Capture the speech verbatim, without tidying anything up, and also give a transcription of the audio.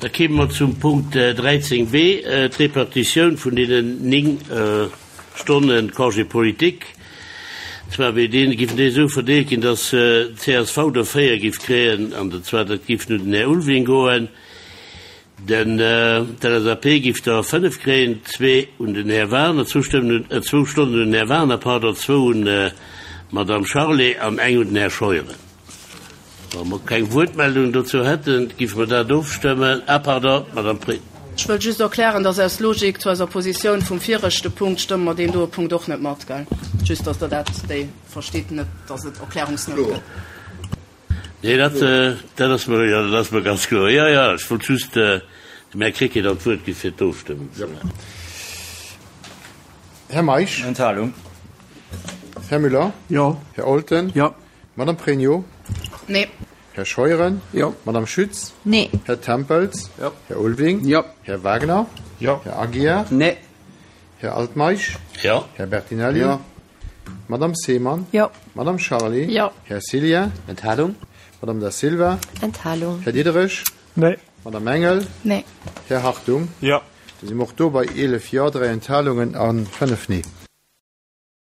Da kéime mer zum Punkt dräizéng b, d'Repartitioun vun deenen néng Stonne Congé politique. Zwar wéi deen, giffen déi esou verdeelt ginn, dass d'C S V der véier giff kréien, an zwar dat giff un den Här Ulveling goen, den d'L S A P giff der fënnef kréien, zwee un den Här Wagener, zwou Stëmmen, zwou Stonnen un den Här Wagener, pardon, zwou un d'Madame Charlé an eng un den Här Scheuren. Wa mer keng Wuertmeldung dozou hätten, giffe mer dat ofstëmmen. Ah, pardon, Madame Pregno. Ech wëll just erklären, dass aus Logik zu eiser Positioun vum viregte Punkt stëmme mer deen doe Punkt och net mat, gell? Just, dass Der dat déi verstitt, net dass et Erklärungsnout gëtt. Nee, dat, dat ass mer, jo, dat ass mer ganz kloer. Jo, jo, ech wollt just dem Här Krecké dann d'Wuert gi fir d'Ofstëmmung ze maachen. Här Meisch. Enthalung. Här Müller. Jo. Här Olten. Jo. Madame Pregno. Nee. Här Scheuren. Jo. Madame Schütz. Nee. Här Tempels. Jo. Här Ulveling. Jo. Här Wagner. Jo. Här Aguiar. Nee. Här Altmeisch. Jo. Här Bertinelli. Jo. Madame Seemann. Jo. Madame Charlé. Jo. Här Cillien. Enthalung. Madame Da Silva. Enthalung. Här Diderich. Nee. Madame Engel. Nee. Här Hartung. Jo. Da si mer och do bei eelef Jo, dräi Enthalungen a fënnef Nee.